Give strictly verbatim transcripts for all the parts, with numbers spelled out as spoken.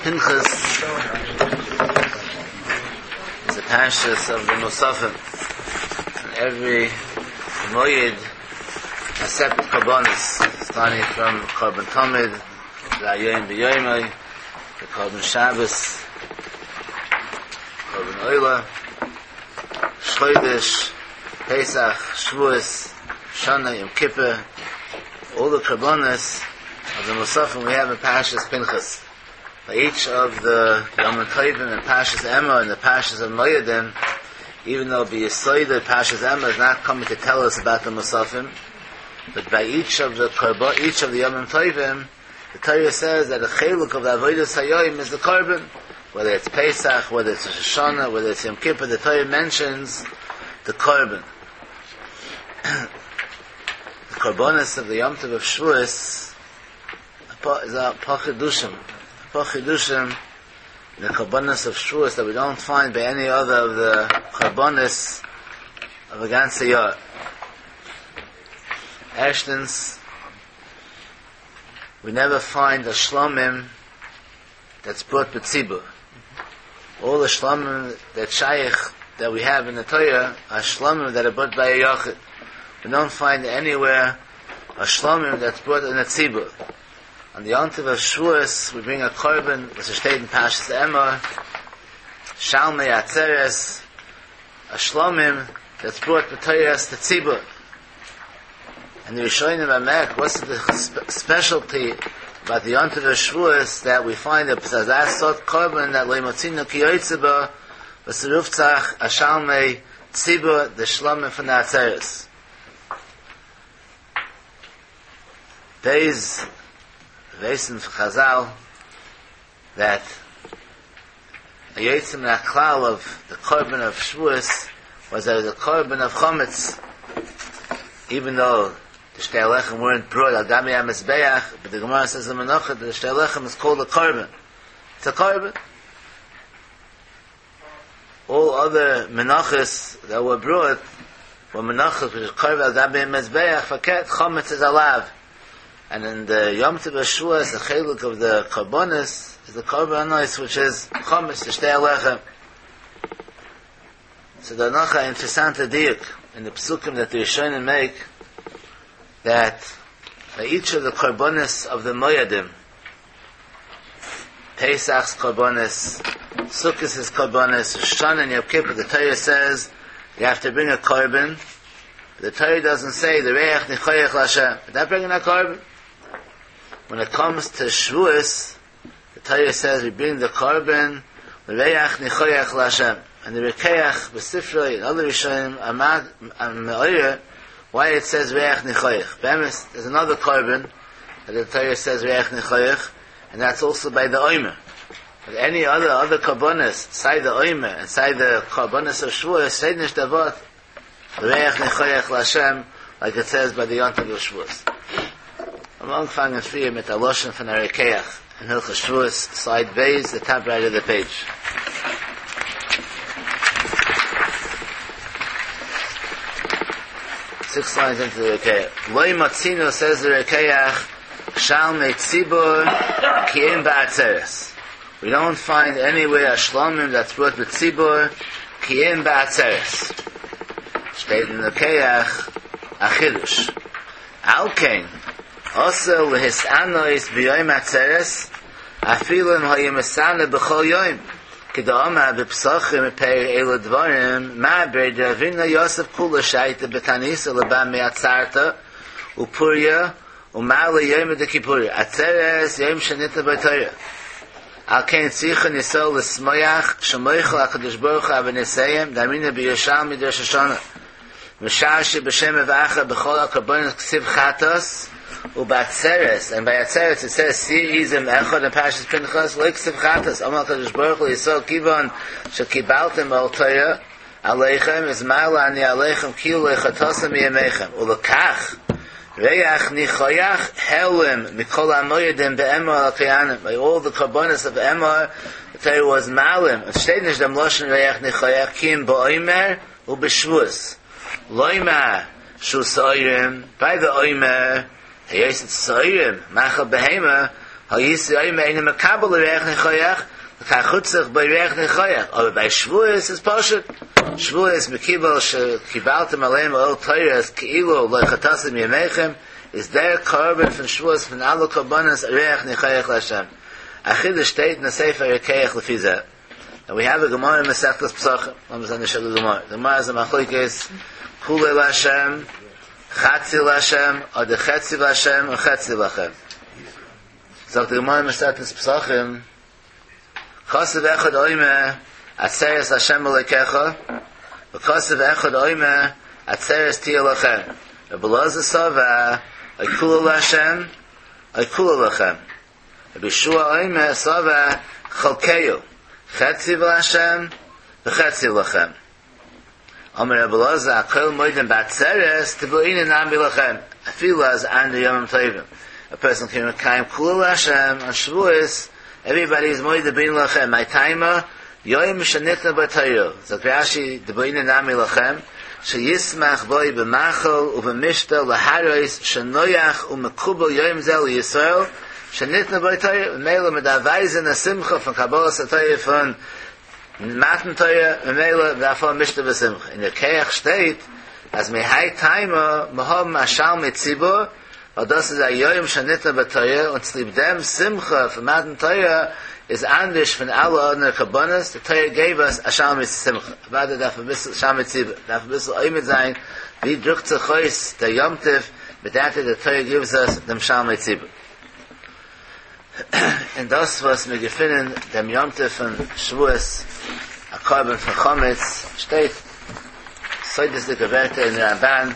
Pinchas is the parshas of the Musafim. And every Moyed has separate korbanos, starting from Korban Tamid, the Ayoyim B'Yoymai, the Korban Shabbos, Korban Oila, Shchodesh, Pesach, Shavuos, Shana, Yom Kippur, all the korbanos of the Musafim we have in Parshas Pinchas. By each of the Yom Tovim and Parshas Emor and the Parshas of Moedim, even though the Yisoida Parshas Emor is not coming to tell us about the Musafim, but by each of the korban, each of the Yom Tovim, the Torah says that the cheluk of the Avodas Hayoim is the korban, whether it's Pesach, whether it's Rosh Hashanah, whether it's Yom Kippur, the Torah mentions the korban. The korbanos of the Yom Tov of Shavuos is a pachidushim, pachidushim, the korbanos of Shavuos that we don't find by any other of the korbanos of a ganze year. Erstens, we never find a shlomim that's brought b'tzibur. All the shlomim that shaykh that we have in the Torah are shlomim that are brought by a yachid. We don't find anywhere a shlomim that's brought in a tzibur. On the Yontiv of Shavuos, we bring a korban, which is stated in Parshas Emor, Shalmei Atzeres, a shlomim that's brought b'Torahs to tzibur. And the Rishonim Amek, what's the spe- specialty about the Yontiv of Shavuos that we find that that sort korban that leimotzinu kiyotzeba v'seruftzach ashalmei tzibur, the shlomim from the Atzeres. Days Veisen for Chazal that a Yotzim Naklal of the korban of Shavuos was that it was a korban of Chometz, even though the Shtei Lechem weren't brought al Gami HaMizbeach, but the Gemara says in Menachot that the Shtei Lechem is called a korban. It's a korban. All other menachos that were brought were menachos which is korban al Gami HaMizbeach, faket Chometz is alav. And in the Yom Tov Shavuos, the cheluk of the korbanos is the korbanos, which is chometz, the Shtei Lechem. So the Nacha interessante diuk in the psukim that the Rishonim make, that by each of the korbanos of the Moedim, Pesach's korbanos, Sukkot's korbanos, Rosh and Yom Kippur, the Torah says you have to bring a korban. The Torah doesn't say the Reach Nichoyach Lashem. But not bringing a korban. When it comes to Shavuos, the Torah says we bring the korban, the Reach Nichoyach Lashem. And the Rekeach, B'Sifrei, and other Rishonim, Amad, Me'oyer, why it says Reach Nichoyach. Be'emes, there's another korban that the Torah says Reach Nichoyach, and that's also by the Omer. But any other, other korbanos, side the Omer, and side the korbanos of Shavuos, say Nish Davot, Reach Nichoyach Lashem, like it says by the Yontav of Shavuos. I'm angefangen früher mit der Loschen von der Rekeach in Hilchos Shavuos, side Beis, the top right of the page. Six lines into the Rekeach. Loi Matzino says the Rekeach, Shalmei Tzibur Ki'im Ba'atzeres. We don't find anywhere a shlomim that's brought with Tzibur Ki'im Ba'atzeres. Steht in the Rekeach, Achidush. Alkein, also lehisanois b'yoyim atzeres, afilu im hayim b'chol yoyim. K'da'amar b'psachim peir elu dvarim, ma b'rei Ravina Yosef kula shaita b'tanisa leba me'atzarta, upurya, umar le'yoyim dekipuria. Atzeres yoyim shenita b'Torah. Al kein tzicha nisol l'smoyach, shemoichel HaKadosh Baruch Hu av'niseyim, damina b'Yerushalmi d'Rosh Hashanah. Mishashi b'shem evacha b'chol ha'korbanos ksiv chatos, u'batzeres, and by atzeres it says si izim echad and Parshas Pinchas lo ksiv chatos. Amar HaKadosh Baruch Hu Yisrael kivon shekibaltem al Torah aleichem is ma'ala ani aleichem kilu lechatosem yemechem ulekach reach nichoyach helim mikol hamoyedim be'emor al kayanim. By all the korbanos of Emor, the Torah was malim. It steht nicht dem Loshen reach nichoyach kim ba'omer u'b'shvus. Loima shu soirim, by the oimer, Hayosit soirim, machal behema, הייתי אומר אינו מקבל ריח ניחוח, לכך הוצרך בו ריח ניחוח. אבער ביי שבועות איז פשוט. שבועות מקיבל שקיבלתם עליהם עול תורה כאילו לא חטאתם מימיכם, איז דער קרבן פון שבועות פון אלע קרבנות ריח ניחוח להשם. א חידוש שטייט אין ספר רוקח לפי זה. And we have a Gemara in Masechtas Pesachim. לאמיר זען די גמרא. The Gemara is a מחלוקת כולו להשם, חצי להשם, אדער חצי להשם, or חצי לכם. זאגט די גמרא אין מסכת פסחים, כתוב אחד אומר, עצרת להשם אלוקיך, וכתוב אחד אומר, עצרת תהיה לכם. רבי אלעזר סבר, או כולו להשם, או כולו לכם. רבי יהושע אומר, סבר, חלקהו, חצי להשם, וחצי לכם. אמר רבי אלעזר, הכל מודים בעצרת, תבואיני נמי לכם. אפילו אז אנדערע ימים טובים. A person can מקיים כולו להשם on Shavuos, everybody is מודה דבעינן לכם. מאי טעמא, יום שניתנה בו תורה. זאגט רש"י, דבעינן נמי לכם, שישמח בו במאכל ובמשתה להראות שנוח ומקובל יום זה לישראל, שניתנה בו תורה, ממילא מ'דארף ווייזן א שמחה פון קבלת התורה פון מתן תורה, ממילא דארף האבן משתה ושמחה. אין רוקח שטייט, אז מהאי טעמא, מ'האבן א שלמי ציבור, ווייל דאס איז א יום שניתנה בו תורה, און צוליב דעם שמחה פון מתן תורה איז אנדערש פון אלע אנדערע קרבנות, the Torah gave us א שלמי שמחה. אוודאי דארף א ביסל שלמי ציבור, דארף א ביסל עומד זיין, ווי דרוקט זיך אויס דער יום טוב, מיט that the Torah gives us דעם שלמי ציבור. און דאס וואס מיר געפינען דעם יום טוב פון שבועות, א קרבן פון חמץ, שטייט סודות'דיגע ווערטער אין רמב"ן,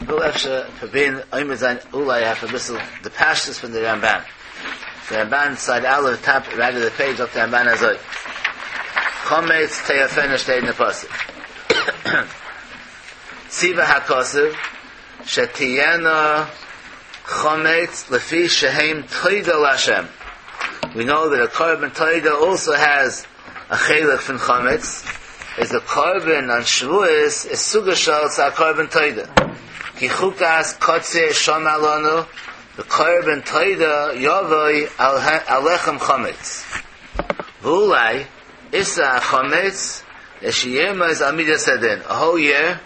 וויל אפשר פרובירן עומד זיין אולי אויף א ביסל די פשטות פון דער רמב"ן. דער רמב"ן side אלף top right of the page זאגט דער רמב"ן אזוי. חמץ תאפנה שטייט אין דער פסוק. ציווה הכתוב שתהיינה חמץ לפי שהם תודה להשם. We know that a קרבן תודה also has a חלק פון חמץ. Is the קרבן on Shavuos is צוגעשטעלט צו א קרבן תודה. כי חוקת קציר שמר לנו בקרבן תודה יבוא על הלחם חמץ. ואולי איסור חמץ שירמוז על מידת הדין. A whole year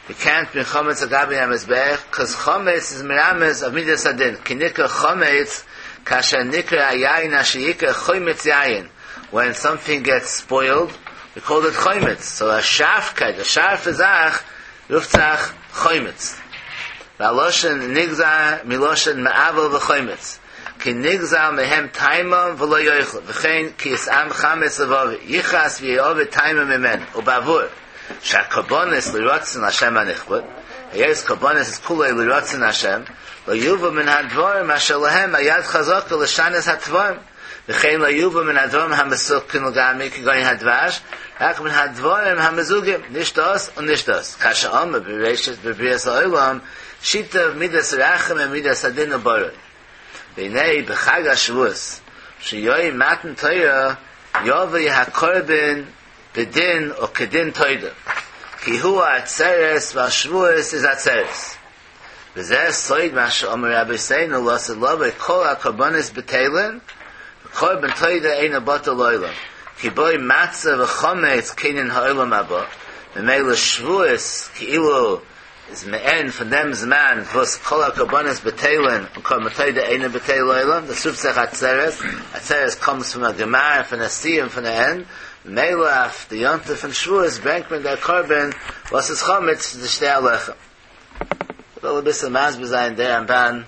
we can't bring חמץ על גבי המזבח because חמץ is מרמז of מידת הדין. כי נקרא חמץ כאשר נקרא היין אשר יקרא חומץ יין. When something gets spoiled, we call it חומץ. So a שארפקייט, a שארפע זאך, רופט זיך חומץ. והלשון נגזר מלשון מעוול וחומץ. כי נגזל מהם טעמם ולא יאכלו. וכן כי יתאם חמץ לבבי. יכעס ויאבד טעמו ממנו. ובעבור. שהקרבנות לרצון השם הנכבד. היות קרבנות איז כולו לרצון השם. לא יובא מן הדברים אשר להם היד חזקה לשנות הדברים. וכן לא יובא מן הדברים המסוכנים לגמרי כגון הדבש, רק מן הדברים המזוגים, נישט דאס און נישט דאס. כאשר אמר בראשית בבריאת העולם, שיתף מידת רחמים ומידת הדין ובראו. והנה בחג השבועות, שיום מתן תורה, יבוא הקרבן בדין או כדין תודה. כי הוא העצרת והשבועות איז עצרת. וזה סוד מה שאומר רבותינו לעתיד לבוא כל הקרבנות בטלין, קרבן תודה אינו בטל לעולם. כי בו מצה וחמץ קנין העולם הבא. ממילא שבועות כאילו איז מעין פון דעם זמן וואס כל הקרבנות בטלין און קרבן תודה אינו בטל לעולם. דאס רופט זיך עצרת. עצרת comes from a גמר, פון א סיום, פון א end. ממילא אויף די יום טוב פון שבועות ברענגט מען דער קרבן וואס איז חמץ די שתי הלחם. וויל א ביסל מסביר זיין דער רמב"ן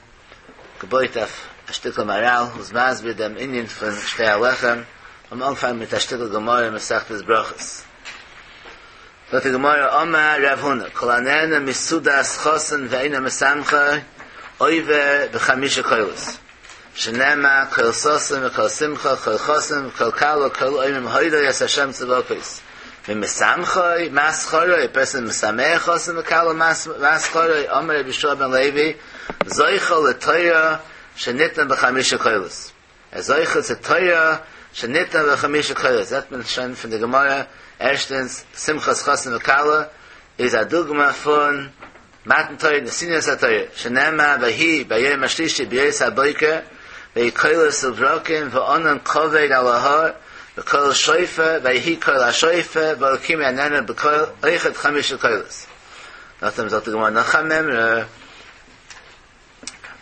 געבויט אויף א שטיקל מהר"ל, וואס מסביר דעם ענין פון שתי הלחם, און אנפאנג מיט א שטיקל גמרא אין מסכת ברכות. זאגט די גמרא, אמר רב הונא, כל הנהנה מסעודת חתן ואינו משמחו, עובר בחמישה קולות. שנאמר, קול ששון וקול שמחה, קול חתן וקול כלה, כל האומרים הודו את השם צבקות. ומשמחו, מה שכרו, a person משמח חתן וכלה, מה שכרו, אמר רבי יהושע בן לוי, זוכה לתורה שניתנה בחמישה קולות. ער זוכה צו תורה שניתנה בחמישה קולות. זעט מען שוין פון די גמרא, ערשטנס, שמחת חתן וכלה, איז א דוגמא פון מתן תורה, נתינת התורה, שנאמר, ויהי ביום השלישי בהיות הבוקר, ויהי קולות וברקים וענן כבד על ההר וקול שופר ויהי קול השופר והאלקים יעננו בקול אויכעט חמשה קולות. נאכדעם זאגט די גמרא נאך א מימרא,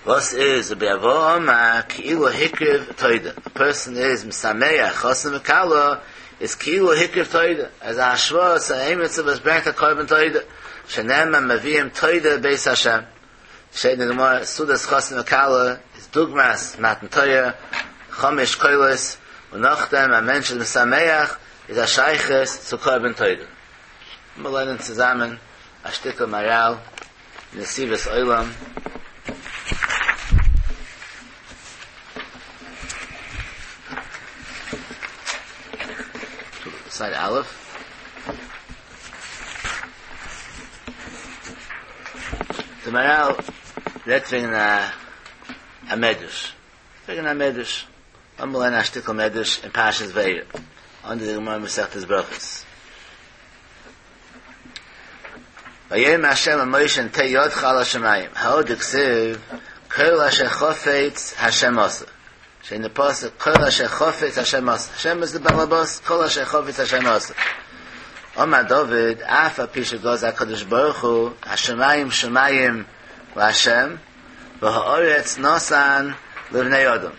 וואס איז רבי אבהו אמר כאילו הקריב תודה, א פערסאן איז משמח חתן וכלה איז כאילו הקריב תודה, אז א השוואה צו עמיצער וואס ברענגט א קרבן תודה, שנאמר מביאים תודה בית השם, שטייט אין די גמרא סעודת חתן וכלה איז דוגמת מתן תורה, חמש קולות, און נאכדעם א מענטש איז משמח איז א שייכות צו קרבן תודה. מיר לערנען צוזאמען א שטיקל מהר"ל נתיבות עולם. סייד א'. דער מהר"ל רעדט וועגן א א מדרש, וועגן א מדרש, לאמיר לערנען א שטיקל מדרש אין פרשת וארא, אונטער די גמרא מסכת ברכות. ויאמר ה' אל משה נטה ידך על השמים, הא דכתיב כל אשר חפץ ה' עשה. שטייט אין די פסוק כל אשר חפץ השם עשה, השם איז די בעל הבית, כל אשר חפץ השם עשה. אמר דוד, אף על פי שגזר הקדוש ברוך הוא, השמים שמים להשם, והארץ נתן לבני אדם.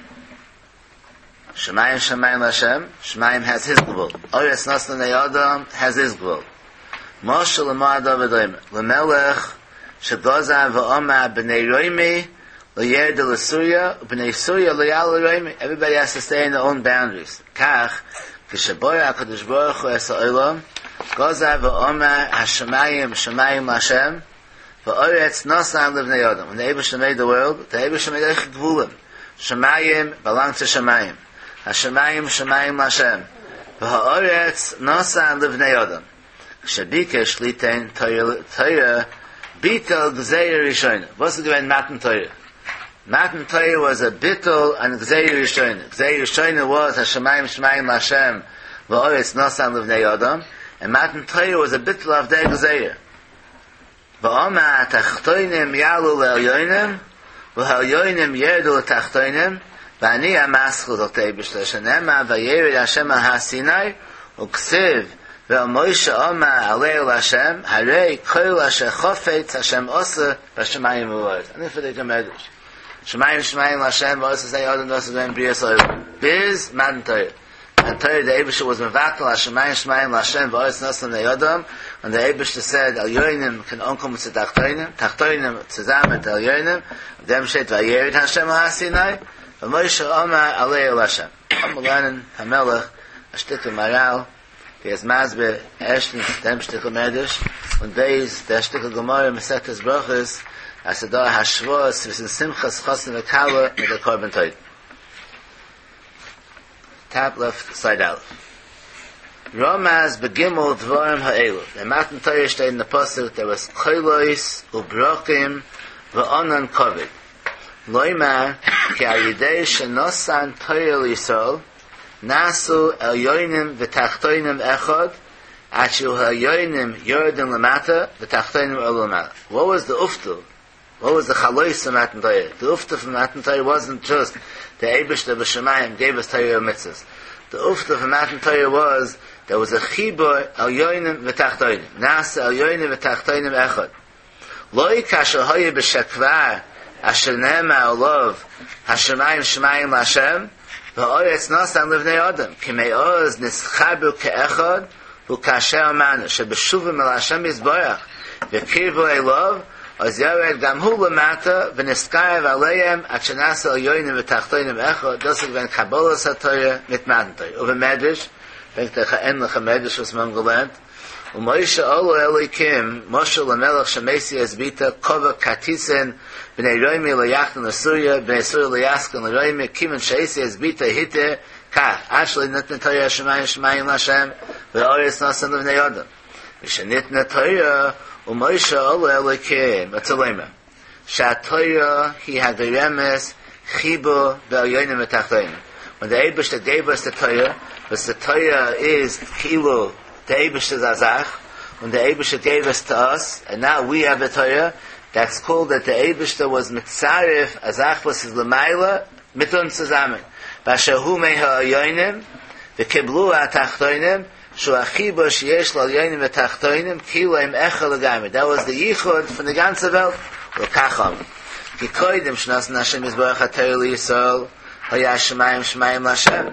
שמים שמים להשם, שמים has his גבול, ארץ נתן לבני אדם has his גבול. משל למה הדבר דומה, למלך שגזר ואמר בני רומי לא ירדו לסוריה, ובני סוריה לא יעלו לרומי. Everybody has to stay in their own boundaries. כך, כשברא הקדוש ברוך הוא את העולם, גזר ואמר השמים שמים להשם, והארץ נתן לבני אדם. When the Eibushter made the world, the Eibushter made אויך גבולים. שמים belong to שמים. השמים שמים להשם. והארץ נתן לבני אדם. כשביקש ליתן תורה, ביטל גזירה ראשונה. וואס איז געווען מתן תורה? מתן תורה was a ביטול on גזירה ראשונה. גזירה ראשונה was השמים שמים להשם והארץ נתן לבני אדם, and מתן תורה was a ביטול of the גזירה. ואמר התחתונים יעלו לעליונים והעליונים ירדו לתחתונים ואני המתחיל זאגט דער אייבערשטער שנאמר וירד השם על הר סיני וכתיב ואל משה אמר עלה אל השם הרי כל אשר חפץ השם עשה בשמים ובארץ. אני פרעג א מדרש. שמים שמים להשם והארץ לבני אדם דאס איז געווען בריאת העולם ביז מתן תורה. מתן תורה דער אייבערשטער was מבטל השמים שמים להשם והארץ נתן לבני אדם און דער אייבערשטער said עליונים קען אנקומען צו תחתונים תחתונים צוזאמען מיט עליונים דעם שטייט וירד השם על הר סיני ומשה אמר עלה אל השם. לאמיר לערנען פאמעלעך א שטיקל מהר"ל ווי ער איז מסביר ערשטנס דעם שטיקל מדרש און בית דער שטיקל גמרא מסכת ברכות אז ס'איז דא א השוואה צווישן שמחת חתן וכלה מיט דער קרבן תודה. Top left side א'. רמז בגימל דברים האלו. דער מתן תורה שטייט אין די פסוק there was קולות וברקים וענן כבד. לומר כי על ידי שנתן תורה לישראל נעשו עליונים ותחתונים אחד עד שיהיו העליונים יורדים למטה ותחתונים עולים למעלה. What was the אויפטו? What was the חלות from מתן תורה? The אויפטו from מתן תורה wasn't just the אייבערשטער בשמים gave us תורה ומצוות. The אויפטו from מתן תורה was there was a חיבור עליונים ותחתונים. נעשה עליונים ותחתונים אחד. לא כאשר היה בשכבר אשר נאמר עליו השמים שמים להשם והארץ נתן לבני אדם כי מאז נתחברו כאחד וכאשר אמרנו שבשובם אל השם יתברך וקרבו אליו אז ירד גם הוא למטה ונתקרב אליהם עד שנעשה עליונים ותחתונים אחד. דאס איז געווען קבלת התורה מיט מתן תורה. ובמדרש ברענגט ער אן ענליכע מדרש וואס מיר האבן געלערנט ומשה עלה אל האלוקים משל למלך שמשיא את בתו קבע כרטיסין בני רומי לא יחנון לסוריה בני סוריה לא יסכון לרומי כיוון שהשיא את בתו היתר כך עד שלא ניתנה תורה השמים שמים להשם והארץ נתן לבני אדם משניתנה תורה ומשה עלה אל האלוקים רצה לומר שהתורה היא הגורמת חיבור בעליונים ותחתונים. When the Eibushter gave us the Torah, but the Torah is כאילו the Eibushter איז א זאך, when the Eibushter gave us to us, and now we have the Torah, that's called that the Eibushter was מצרף, א זאך וואס איז למעלה, מיט אונז צוזאמען, באשר הוא מהעליונים וקיבלוה התחתונים, שהוא החיבור שיש לעליונים ותחתונים כאילו הם אחד לגמרי, that was the ייחוד פון די גאנצע וועלט, ולכך אמר, כי קודם שנתן השם יתברך התורה לישראל היה השמים שמים להשם,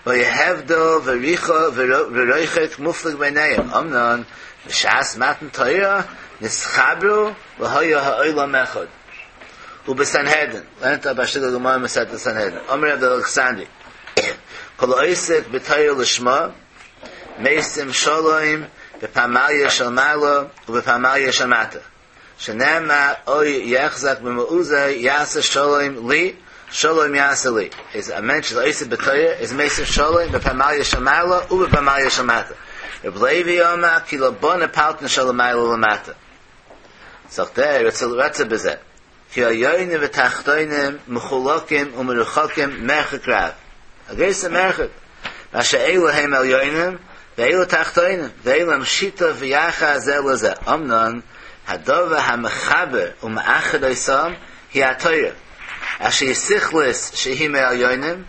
והיה הבדל וריחוק מופלג ביניהם, אמנם בשעת מתן תורה נתחברו והיה העולם אחד. ובסנהדרין, לערנט אפ א שטיקל גמרא מסכת סנהדרין, אמר רב אלכסנדרי, כל העוסק בתורה לשמה, משים שלום בפמליא של מעלה ובפמליא של מטה, שנאמר אוי יחזק במעוזו יעשה שלום לי, שלום יעשה לי. איז א מענטש איז עוסק בתורה איז משים שלום בפמליא של מעלה ובפמליא של מטה. רב לוי אמר כי לא בנה פלטין של מעלה למטה. זאגט ער, רצה בזה. כי עליונים ותחתונים מחולקים ומרוחקים מרחק רב. א גרויסע מרחק. מה שאלו הם עליונים ואלו תחתונים, ואין להם שיתוף ויחס זה לזה. אמנם הדבר המחבר ומאחד אותם היא התורה. אשר היא שכלית שהיא מעליונים,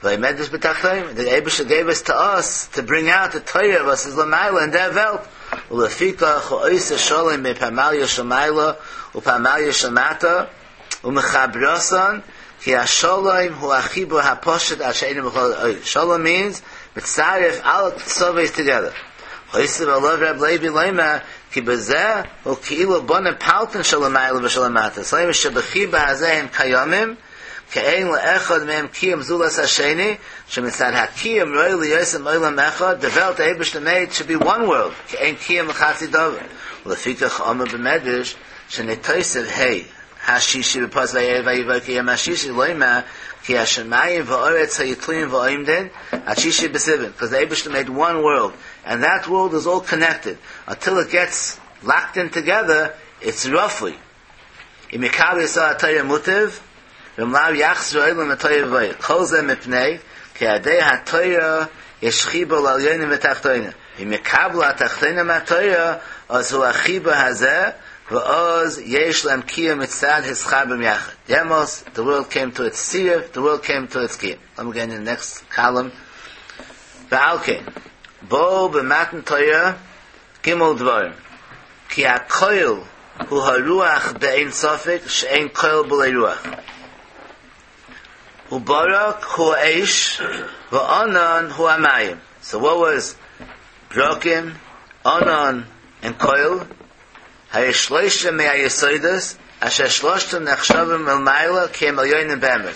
ועומדת בתחתונים. The Eibush gave us to us to bring out the Torah וואס איז למעלה אין דער וועלט. ולפיכך הוא עושה שלום בפמליא של מעלה ופמליא של מטה ומחברתן כי השלום הוא החיבור הפשוט עד שאינו בכל שלום means מצרף אלע קצוות together. הוסיף עליו רב לוי לומר כי בזה הוא כאילו בונה פלטין של למעלה ושל למטה. זאת שבחיבור הזה הם קיימים כי אין לאחד מהם קיום זולת השני, שמצד הקיום ראוי להיות עולם אחד, the וועלט the Eibush made should be one world, כי אין קיום לחצי דבר. ולפיכך אמר במדרש, שנתוסף ה' השישי בפסוק ויהי ויהי השישי לומר כי השמים והארץ היו תלויים ועומדין עד שישי בסיוון, because the Eibush made one world, and that world is all connected. Until it gets locked in together, it's roughly. אם יקבל ישראל התורה מוטב, ואם לאו יחזור העולם לתוהו ובוהו. כל זה מפני כי על ידי התורה יש חיבור לעליונים ותחתונים. אם יקבלו התחתונים מהתורה, אז הוא החיבור הזה, ואז יש להם קיום מצד התחברם יחד. דעמאלס, the world came to its צירוף, the world came to its קיום. Let me get in the next column. ועל כן, באו במתן תורה ג' דברים. כי הקול הוא הרוח באין ספק, שאין קול בלי רוח. וברק הוא האש, וענן הוא המים. So what was ברקים, ענן, and קול? הרי שלושה מהיסודות, אשר שלושתם נחשבים מלמעלה כי הם עליונים באמת.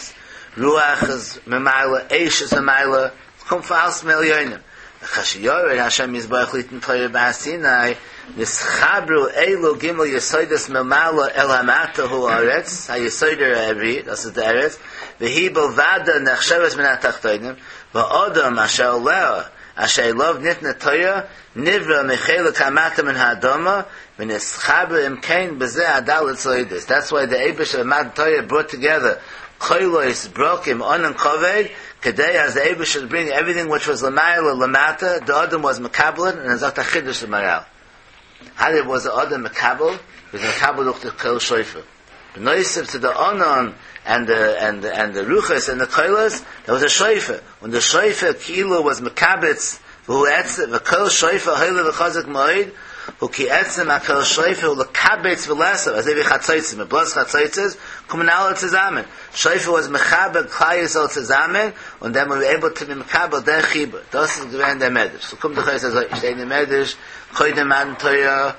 רוח איז מלמעלה, אש איז מלמעלה, קומט פון אלץ מעליונים. וכאשר ירד השם יתברך ליתן תורה בהר סיני, נתחברו אלו ג' יסודות מלמעלה אל המטה הוא הארץ, היסוד העברי, דאס איז די ארץ, והיא בלבדה נחשבת מן התחתונים, והאדם אשר עליה, אשר אליו ניתנה תורה, נברא מחלק המטה מן האדמה, ונתחבר אם כן בזה הד' יסודות. That's why the Eibush of מתן תורה brought together קולות, ברקים, ענן כבד, כדי אז the Eibush should bring everything which was למעלה למטה, the אדם was מקבל, and זאגט א חידוש מהר"ל. How did was the אדם מקבל? He was מקבל דורך the קול שופר. בנוסף to the ענן and the and the, and the רוחות and the קולות, there was a שופר. When the שופר כאילו was מקבץ, והוא עצם, וקול שופר הולך וחזק מאוד, הוא כי עצם הקול שופר הוא לקבץ ולאסוף, אזוי ווי חצוצרות, מען בלאזט חצוצרות, קומען אלע צוזאמען. שופר was מחבר כלל ישראל צוזאמען, און then we were able to be מקבל דער חיבור. דאס איז געווען דער מדרש. So קומט דאך אויס אזוי, שטייט אין מדרש, קודם מתן תורה,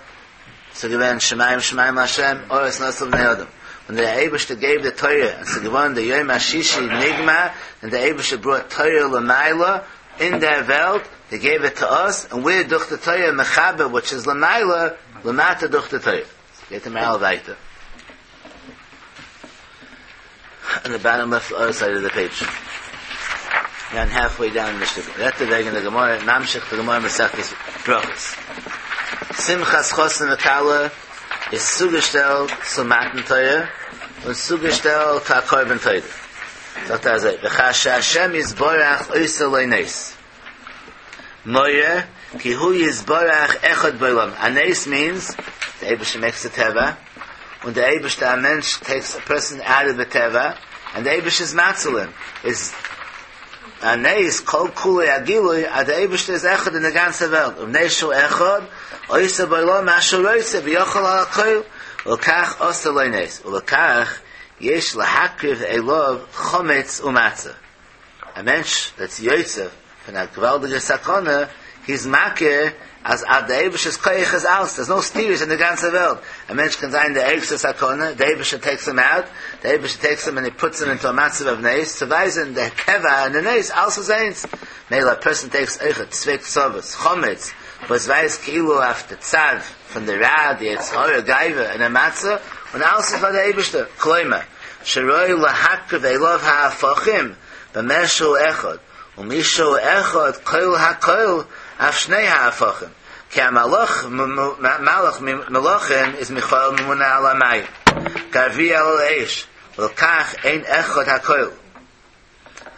ס'איז געווען שמים שמים להשם, ארץ נתן לבני אדם. When the Eibush gave the Torah, and ס'איז געווארן the יום השישי נגמר, and the Eibush brought Torah למעלה אין דער וועלט, they gave it to us, and we're דורך the Torah מחבר, which is למעלה, למטה דורך the Torah. גייט דער מהר"ל ווייטער. On the bottom left other side of the page. And halfway down the shtickle. רעדט ער וועגן די גמרא, ממשיך די גמרא מסכת ברכות. שמחת חתן וכלה איז צוגעשטעלט צו מתן תורה און צוגעשטעלט צו א קרבן תודה. זאגט ער אזוי, וכאשר השם יתברך עושה לו נס. מורה כי הוא יתברך אחד בעולם. A נס means the Eibush makes the טבע. When the Eibush, a מענטש takes a person out of the טבע, and the Eibush is matzelim. Is a neis kol kulei agilui, a the Eibush is echad in the ganze Welt. Um neishu echad, oisa b'lo mashu roise, v'yochel ha'koil, ulkach osa loy neis. Ulkach, yesh lahakriv elov chometz umatzah. A mensch that's Yosef, von a gewaltige Sakone, he's makir, as ad the Eibush is koyach is aus. There's no steers in the ganze Welt. A mensch can sein the Eibush Sakone, the Eibush takes him out, the Eibush takes him and he puts him into a matzav of neis, to weisen the keva and the neis, also zains. Mela, a person takes eichet, tzvek tzovus, chometz, was weiß kilo after tzad, from the ra, the etzhora, gaiva, and a matzah, and also for the Eibush, kloima, sheroi lahakriv elov ha'afachim, b'meshu echad, umishu echad, koil ha'koil, af shnei ha'afachim. Ki ha'malach, malach melachim, is Michael memuna al ha'mayim. Garvi al ha'esh, v'lkach ein echad ha'koil.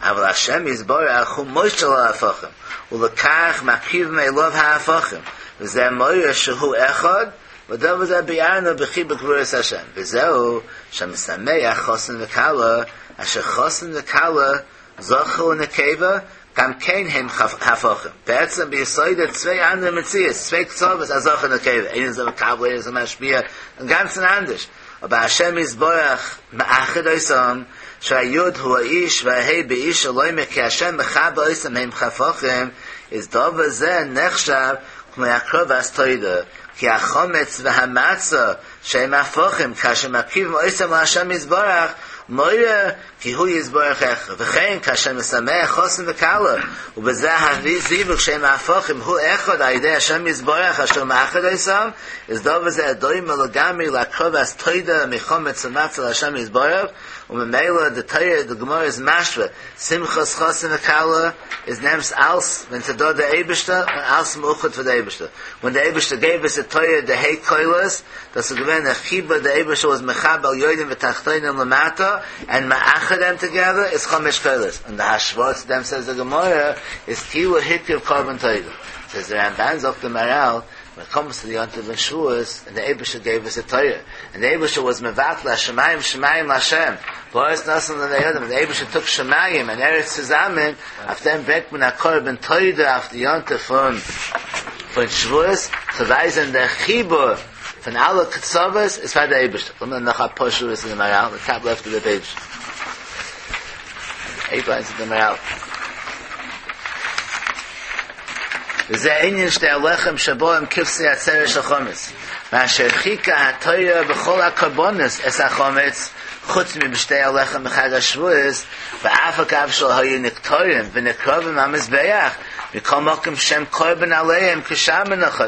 Aval Hashem yizborach hu moishel ha'afachim, u'lekach makriv me'elov ha'afachim. V'zeh moira shehu echad, v'davar zeh bi'arnu b'chi b'gvuras Hashem. V'zehu shemesameach chosin v'kala, asher chosin v'kala zochu nekeva, gam kein hem hafachim. Be'etzem b'yisoide zwei andere Metzias, zwei Kzovas, azochu nekeva. Ein is a mekabel, ein is a mashpia, ein ganzen anders. Aber Hashem yizborach ma'achid oisam, שהיוד הוא האיש וההי באיש אלוהים כי השם מחב oisam הם חפוכם, is דובר זה נחשב כמו הקרובס תוידה, כי החומץ והמצה שהם הפוכים, כאשר מקריבים oisam להשם יזברך, מוירה כי הוא יזברך איך, וכן כאשר משמח חוסן וקלה, ובזה הזיווג שהם הפוכים, הוא אחד על ידי השם יזברך אשר מאחד oisam, is דובר זה דומה לגמרי לקרובס תוידה מחומץ ומצה להשם יזברך, וממילא the Torah, the Gemara is mashva, Simchas Chosin V'Kala is nems als, when to do the Eibishter, and als meuchad for the Eibishter. When the Eibishter gave us the Torah, the Hey Koilas, that's the Gemara, the Chiba, the Eibishter was mechabel yodim v'tachtoinim lamata, and ma'achad them together, is Chomesh Koilas. And the Hashvot to them, says the Gemara, is Kilu Hikriv Korban Torah. Says the Ramban, Zok the Maral, when it comes to the Yontav and Shavuos, and the Eibishter gave us a Torah. And the Eibishter was mevatla, Shemayim, Shemayim, Hashem. V'oris nasan l'nei And the Eibishter took Shemayim and Eretz zusammen, auf dem bringt man a Korban Torah auf die Yontav von, von Shavuos, zu weisen der Chibur von alle Ktsovas ist bei der Eibishter. Und dann noch ein paar Shavuos in the Maral, the top left of the page. Eight lines in the Maral. וזה עניין שתי הלחם שבו הם כבשי עצרת של חומץ. מאשר חיכה התויה בכל הקורבנס אס החומץ, חוץ מבשתי הלחם בחג השבועס, ואף אגב של היו נקטורים ונקרובים המזבח, מכל מקום שם קורבן עליהם כשם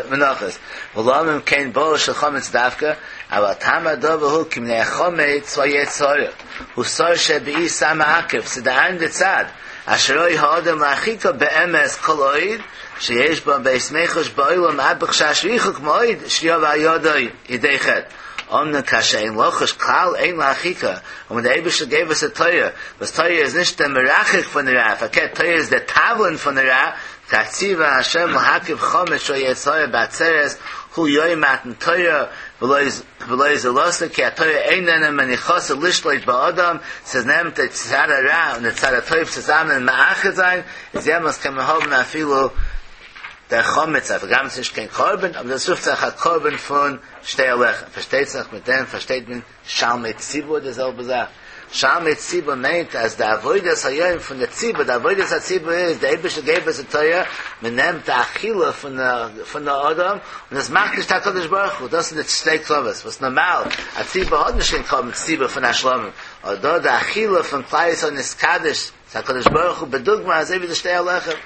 מנוחס. ולא אם כן בו של חומץ דווקא, אבל טעם הדובר הוא כי מני החומץ הוא יצורך. הוא סור שבאי סמא עקב, סדען דצד, אשר אוי האדם להחיקו באמס כל אויד, שיש בו בייס מיכוש באוילם עד בחשש ריחוק מועד שיוב היודוי ידי חטא. Omna kasha ein lochush klal ein lachika. And when the Eibishter gave us a Torah, was Torah is nicht der Merachik von der Ra, verkehrt, Torah is der Tavlin von der Ra, Katziva Hashem l'hakiv chomesh sho yetzorah b'atzeres, hu yoy matan Torah, v'lo yizelosa, ki ha-Torah einena menichosa lishloit ba'odam, says nem te tzad ha-ra, und the tzad ha-toiv zusammen ma'achid sein, is yemos kemehov afilu der Chometz, aber ganz nicht kein Korben, aber das ruft sich ein Korben von Shtei Alechem. Versteht sich mit dem, versteht man, Shalmei Tzibur, derselbe Sache. Shalmei Tzibur meint, als der Avodas Hayom von der Tzibur, der Avodas HaTzibur ist, der Eibische gave us a Torah, man nimmt der Achille von der, von der Adam, und das macht nicht HaKadosh Baruch Hu, das sind die zwei Klovas, was normal, a Tzibur hat nicht kein Korben, Tzibur von Hashlomim, aber da der Achille von Klai Yisrael ist Kaddish, HaKadosh Baruch Hu, bedugma, als wie der Shtei Alechem.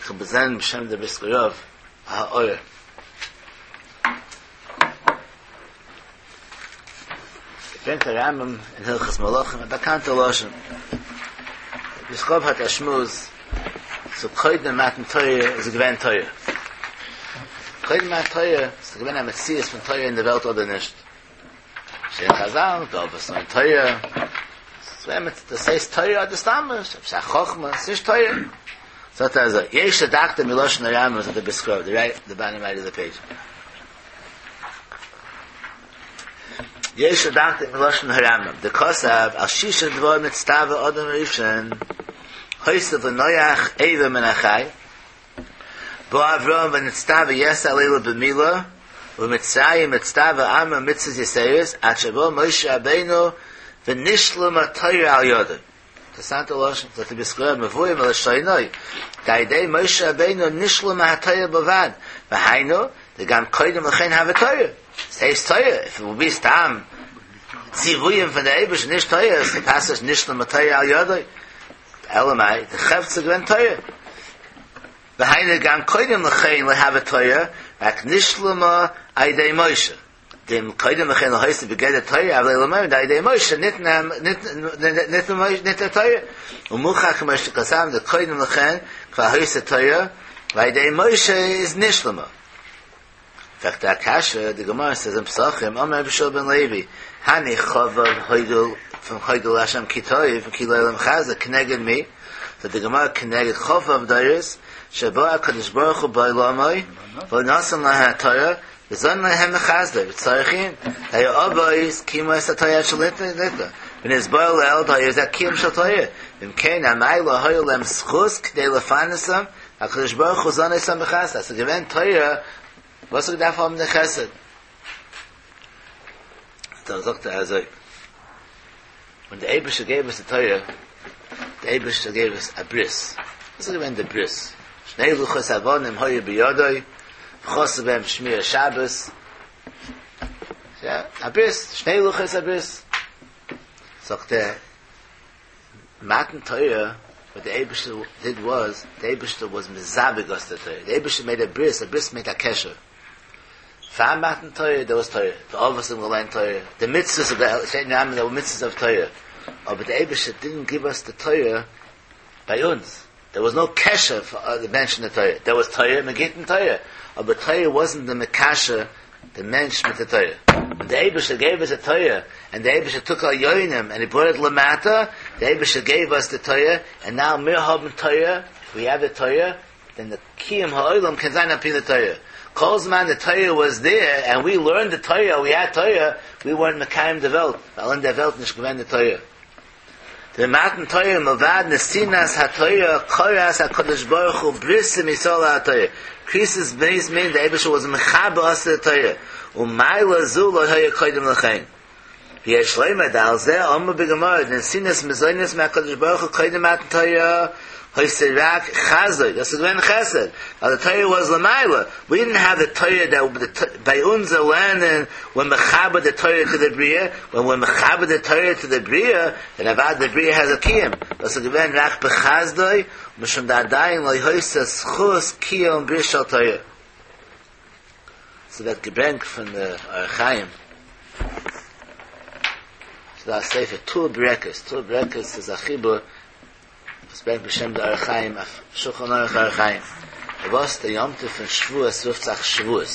Ich habe gesehen, Beshem der Briskerov, ha'oyer. Ich bringt der Rambam in Hilchas Malachim, a bekannte Loschen. Briskerov hat a Schmuz, zu Koydem Matan Torah ist a gewinn Torah. Koydem Matan Torah ist a gewinn a Metzias von Torah in der Welt oder nicht. Shein Chazal, da ob es noch Torah, das heißt Torah, das Stamm, das ist a Chochma, es ist Torah. So that is yesh dakta milosh naram is the briskerov, the right, the bottom right of the page. יש לדקדק מלשון הרמב"ם. דכתב על שישה דברים נצטווה אדם הראשון הוסיף לנוח איבר מן החי בא אברהם ונצטווה יתר על אלו במילה ובמצרים נצטווה עמרם מצוות יתירות עד שבא משה רבינו ונשלמה התורה על ידו. אינטערעסאנטע לשון, זאגט דער בריסקער רב מבואר מלשונו דעל ידי משה רבינו נשלמה התורה בלבד והיינו דגם קודם לכן הוה תורה. ס'הייסט תורה, איף איט וואלד בי סתם ציוויים פון דער אייבערשטער נישט תורה, איז די פאסוש נשלמה התורה על ידו. אלא מאי, די חפצא איז געווען תורה. והיינו גם קודם לכן לא הוה תורה, רק נשלמה על ידי משה. דאם קודם לכן לא היתה בגדר תורה, אבל אלא מאי דעל ידי משה ניתנה ניתנה ניתנה תורה. ומוכח כמו שכתב דקודם לכן כבר היתה תורה, ועל ידי משה איז נשלמה. פרעגט א קשיא, די גמרא says אין פסחים, אמר רבי יהושע בן לוי, הני כ"ו הודו פון הודו להשם כי טוב כי לעולם חסדו, כנגד מי? זאגט די גמרא כנגד כ"ו דורות שבא הקדוש ברוך הוא בעולמו ונתן להם התורה וזן להם מחסדו וצריך עיון דהיו אבות קיימו את התורה עד שניתנה ונתבאר לעיל דהיה זה קיום של תורה ואם כן אמאי לא היה להם זכות כדי לפרנסם הקדוש ברוך הוא זן אותם בחסד אז ס'איז געווען תורה וואס האט געדארפט האבן די חסד? דא זאגט ער אזוי, ווען די אייבערשטער געב אונז די תורה, די אייבערשטער געב אונז א ברית, וואס איז געווען די ברית? שני לוחות אבנים היו בידו, וכתב בהם שמירת שבת, יא, א ברית, שני לוחות הברית. זאגט ער, מתן תורה, וואט די אייבערשטער דיד וואס, די אייבערשטער וואס מזווג אס די תורה, די אייבערשטער מעיד א ברית, א ברית מיינט א קשר. פאר מתן תורה דער וואס תורה, די אבות האבן געלערנט תורה, די מצוות אוו די, שטייט אין רמב"ם דער מצוות אוו תורה, אבער די אייבערשטער דידנט גיוו אס די תורה ביי אונז, דער וואס נאו קשר פאר די מענטש און די תורה, דער וואס תורה, מען גייט אין תורה, אבער תורה וואזנט די מקשר די מענטש מיט די תורה, און די אייבערשטער געב אונז די תורה, און די אייבערשטער טוק עליונים און הי בראט איט למטה, די אייבערשטער געב אונז די תורה, און נאו מיר האבן תורה, ווי העוו די תורה, דען די קיום העולם קען זיין על פי די תורה, כל זמן די תורה וואס דער, און ווי לערנד די תורה, ווי העד תורה, ווי ווערנט מקיים די וועלט, ווייל אין דער וועלט נישט געווען די תורה. דבמתן תורה מלבד נתינת התורה כרת הקדוש ברוך הוא ברית עם ישראל על התורה, כריתת ברית מיינט די אייבערשטער וואס מחבר אס די תורה, ומעלה זו לא היה קודם לכן. ויש לומר דעל זה אמרו בגמרא דנתינת מזונות מהקדוש ברוך הוא קודם מתן תורה היתה רק חסדו, דאס איז געווען חסד, ווייל די תורה וואס למעלה, ווי דידנט העוו די תורה דעט ביי אונזער לערנען ווער מחבר די תורה טו די בריאה, ווען ווער מחבר די תורה טו די בריאה, דען אוודאי די בריאה העז א קיום, דאס איז געווען רק בחסדו, משום דעדיין לא היתה זכות קיום ברית של תורה. ס'ווערט געברענגט פון די אור החיים, ס'דא א ספר טור ברקת, טור ברקת איז א חיבור וואס ברענגט בשם די אור החיים אויף שולחן ערוך אורח חיים, פארוואס די יום טוב פון שבועות רופט זיך שבועות,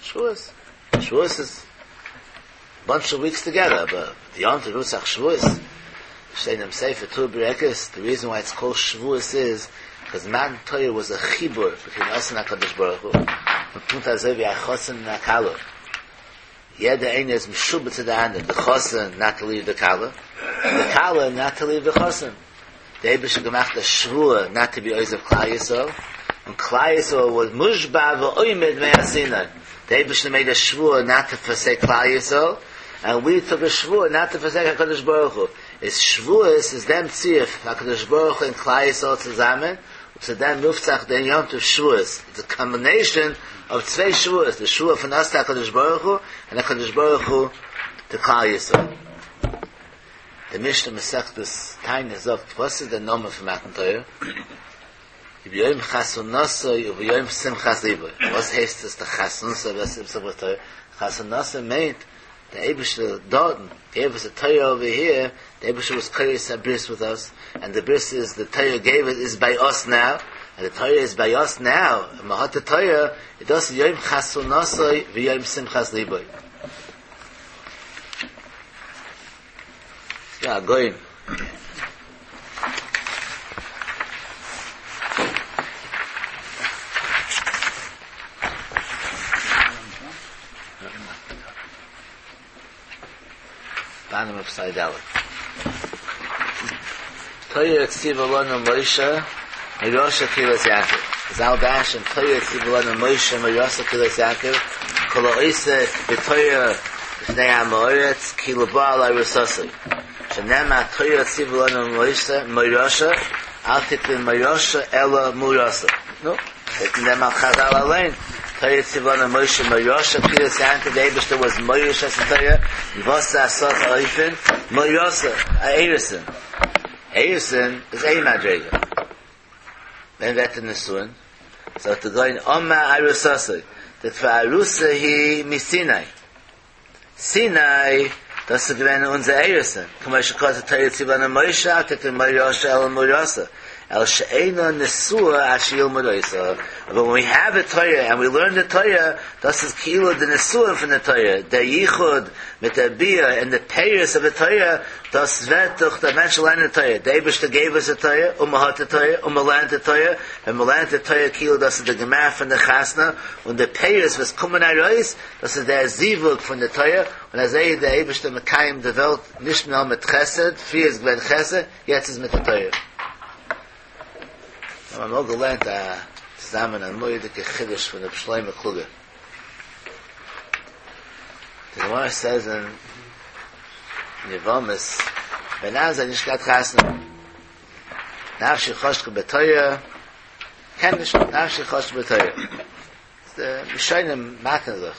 שבועות, שבועות איז באנטש אוו וויקס טוגעדער, אבער די יום טוב רופט זיך שבועות, שטייט אינעם ספר טור ברקת, די ריזען וויי איטס קאלד שבועות איז, קאז מתן תורה וואס א חיבור ביטווין אס און הקדוש ברוך הוא, און פונקט אזוי ווי א חתן און א כלה, יעדער איינער איז משועבד צו די אנדערע, די חתן נאט טו ליוו די כלה, די כלה נאט טו ליוו די חתן. די אייבערשטער האט געמאכט א שבועה נאט טו בי עוזב כלל ישראל, און כלל ישראל וואס מושבע ועומד מהר סיני, די אייבערשטער מעיד א שבועה נאט טו פארסעיק כלל ישראל, און ווי טוק א שבועה נאט טו פארסעיק הקדוש ברוך הוא, איז שבועות איז דעם צירוף הקדוש ברוך הוא און כלל ישראל צוזאמען, און צו דעם רופט זיך דעם יום טוב שבועות, איטס א קאמבינעישאן אוו צוויי שבועות, די שבועה פון אס טו הקדוש ברוך הוא, און הקדוש ברוך הוא טו כלל ישראל. די משנה מסכת תענית זאגט, וואס איז דער נאמען פון מתן תורה? וביום חתונתו וביום שמחת לבו. וואס הייסט עס די חתונתו ושמחת תורה? חתונתו מיינט דער אייבערשטער דארטן געב אס די תורה אווער היער, דער אייבערשטער וואס כורת א ברית וויט אס, ענד די ברית איז די תורה געב איז ביי אס נאו, און די תורה איז ביי אס נאו, און מען האט די תורה, איז דאס יום חתונתו ויום שמחת לבו. יא, גוים. Bottom of side Aleph. Torah tziva lanu Moshe, Mirosha Kilas Yaakov. Zal Dash and Torah tziva lanu Moshe, Mirosha Kilas Yaakov. Kol ha'oiseh b'Torah b'fnei ha'moretz ki lebo al arusosoi. Shenema Torah tziva lanu Moshe, Mirosha, al tikri Mirosha ela Murasa. No, taking them al Chazal alein. Torah tziva lanu Moshe, Mirosha Kilas Yaakov. The Eibishter was Mirosha Torah. Yivasa asot oifen Mirosha Eirison. Eirison is a madrega. Then that the Nesuin. So to go in Oma Arusasoi. That for Arusa he misinai. Sinai das ist gewesen unser Eirison. Kama shekos Torah tziva lanu Moshe, al tikri Mirosha ela Murasa. El she'eino nesua asher yilmud oisa. But when we have a Torah and we learn the Torah, das is kilo the nesua from the Torah, the yichud mit the bia and the peiris of the Torah, das vet durch the Mensch learn the Torah. The Eibishter gave us the Torah, umahat the Torah, umalant the Torah, and malant the Torah kilo das is the gemar from the chasna, und the peiris was kommen arois, das is der zivug from the Torah, und as the Eibishter mekayim the Welt nicht mehr mit Chesed, früher ist gewesen Chesed, jetzt ist mit der Torah. I'm auch gelernt, a zusammen ein moedike Chiddush von der Shlomo Kluger. The Gemara says in Yevamis, Ben Azai nicht gat chasna. Nafshi choshke b'toya, ken nicht, nafshi choshke b'toya. The Mishonim machen sich.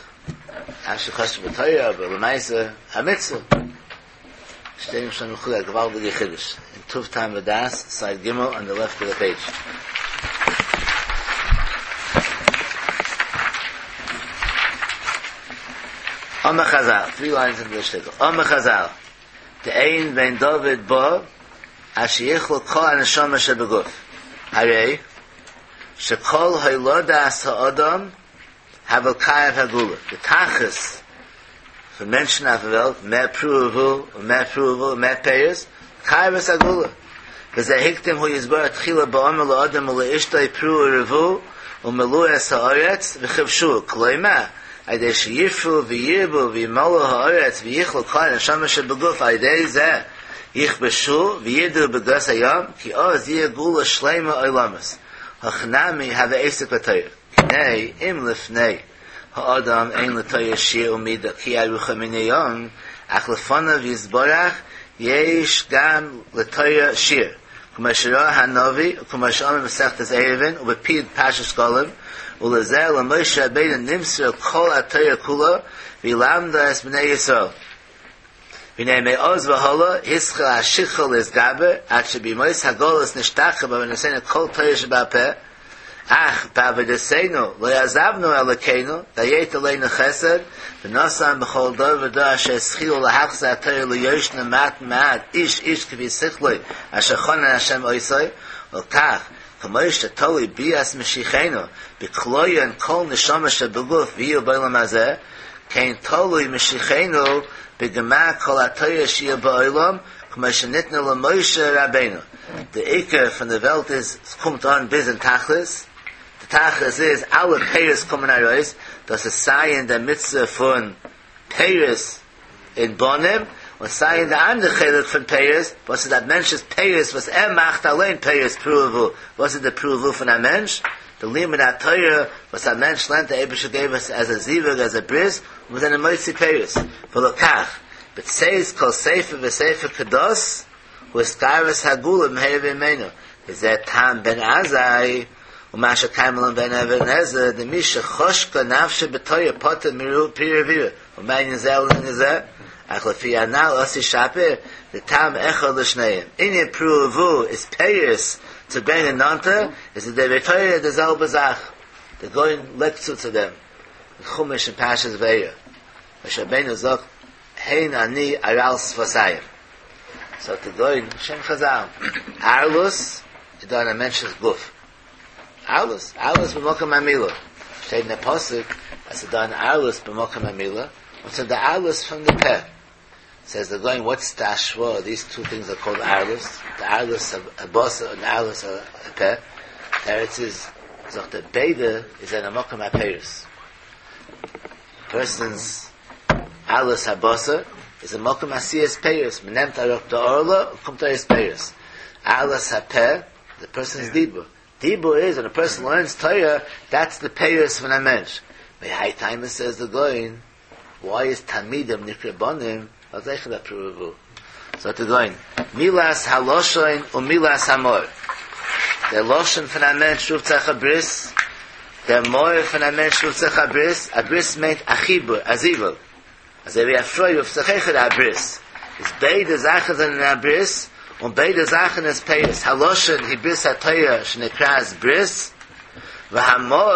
Nafshi choshke b'toya, aber l'maise, ha-mitzvah. Steht im Shlomo Kluger, gewaltige Chiddush. In Tuv Tam V'das, side Gimel, on the left of the page. Omer Chazal, three lines in the shtickle. Omer Chazal, the Ein ben David bo, asher yichlu kol haneshama shebeguf. Harei, shekol haylodas ha'adam, havel kayev hagula. The tachas, for Menschen auf der Welt, mehr Pruvu, mehr Pruvu, mehr Peiris, kayev hagula. V'zeh hiktim hu yizbar tchila ba'omer la'adam u'le'ishtoi pru u'revu, u'melu es ha'aretz, v'chivshu, kloima, Aydei sheyifru v'yirbu v'yimalu ha'aretz v'yichlu kol haneshama shebeguf aydei zeh yichbeshu v'yidu b'gas hayam ki oz yeh gula shleima oilamas hachnami have esek b'tayr kinei im lifnei ha'adam ein l'tayr shir umida ki arucha minayom ach lefanav yizborach yesh gam l'tayr shir k'ma shirah hanavi k'ma she'amar b'sechtes Eruvin u'b'pid Parshas Shkolim ולזה למשה רבינו נמסר כל התורה כולה וילמדה את בני ישראל. והנה מעוז והולה הסחיל השיכל להסגבר עד שבימוס הגולס נשתחר בבנסינו כל תורה שבעל פה אך בעבודתנו לא יעזבנו אלוקינו דיית עלינו חסד ונוסם בכל דור ודור אשר הסחילו להחזר התורה ליושנה מעט מעט איש איש כפי שכלוי אשר חונן השם עושי וכך כמו שתלוי ביאס משיחנו בקלויין כל נשמה שבגוף ויהיו בעולם הזה כן תלוי משיחנו בגמר כל התורה שיהיה בעולם כמו שניתנה למשה רבינו. The Iker from the Welt is, es kommt an bis in Tachlis. The Tachlis is, alle Peiris kommen heraus, das ist sei in der Mitzvah von Peiris in Bonim, und sei in der andere Chelik von Peiris, was ist das Mensch ist Peiris, was er macht allein Peiris Pruvu. Was ist der Pruvu von einem Mensch? The Limud HaTorah, was ein Mensch lernt, der Eibische gave us as a Zivug, as a Bris, und was eine Moitzi Peiris. V'lokach, but says kol sefer v'sefer kados, hu eskaris hagula m'heir v'imenu. Is that tam ben Azai, u'masha kaimelon ben Even Ezer, the misha choshka nafshe b'toya pota miru pir v'ira. U'mayin zel l'nizeh, ach lefi anal osi shapir, the tam echad l'shneim. Inyan pruvu is Peiris, to bring a nanta, is the Devetoya the Zelbe Zach. They're going lekzu to them. The Chumash and Pashas Ve'er. Moshe Rabbeinu zok, hein ani aral sfasayim. So to go in Shem Chazal, Arlus, is done a mention's guf. Arlus, Arlus b'mokam amila. Steht in the pasuk, as done Arlus b'mokam amila. What's the Arlus from the peh? Says they're going, what's the ashwa? These two things are called Arlus. The Arlus of Abosa and the Arlus of Peh. Teretz is, so the Beda is an Amokam HaPeiris. Person's Arlus Habosa איז א מקום עשיית פירות, מען נעמט אראפ די ערלה און קומט ארויס פירות. ערלת הפה, די פערסאנס דיבור, דיבור איז ווען א פערסאן לערנס תורה, דעטס די פירות פון א מענטש. מהאי טעמא סעז די גאון, וואי איז תלמידים נקרא בנים, ווייל זיי האבן פרו ורבו. זאגט די גאון, מילת הלשון ומילת המאור. דער לשון פון א מענטש רופט זיך א ברית, דער מאור פון א מענטש רופט זיך א ברית, א ברית מיינט א חיבור, א זיווג. אזוי ווי א פרוי רופט זיך אויכעט א ברית, איז ביידע זאכן זענען א ברית, און ביידע זאכן איז פירות, הלשון היא ברית התורה שנקראת ברית, והמאור